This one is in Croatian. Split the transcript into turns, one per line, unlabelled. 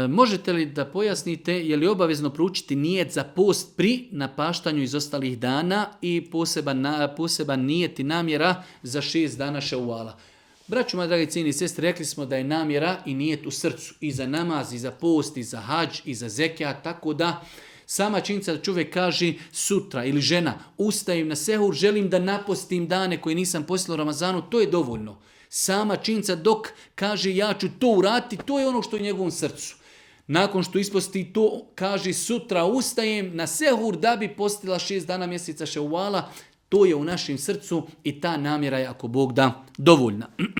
Možete li da pojasnite je li obavezno proučiti nijet za post pri napaštanju iz ostalih dana i poseban nijet i namjera za 6 dana Ševala? Braćo moji dragi cijeni sestre, rekli smo da je namjera i nijet u srcu i za namaz, i za post, i za hadž, i za zekijat, tako da sama činjenica da čovjek kaže sutra ili žena ustajem na sehur, želim da napostim dane koje nisam postila u Ramazanu, to je dovoljno. Sama činjenica dok kaže ja ću to uraditi, to je ono što je u njegovom srcu. Nakon što isposti to, kaže sutra ustajem na sehur da bi postila 6 dana mjeseca Ševala, to je u našem srcu i ta namjera je ako Bog da dovoljna.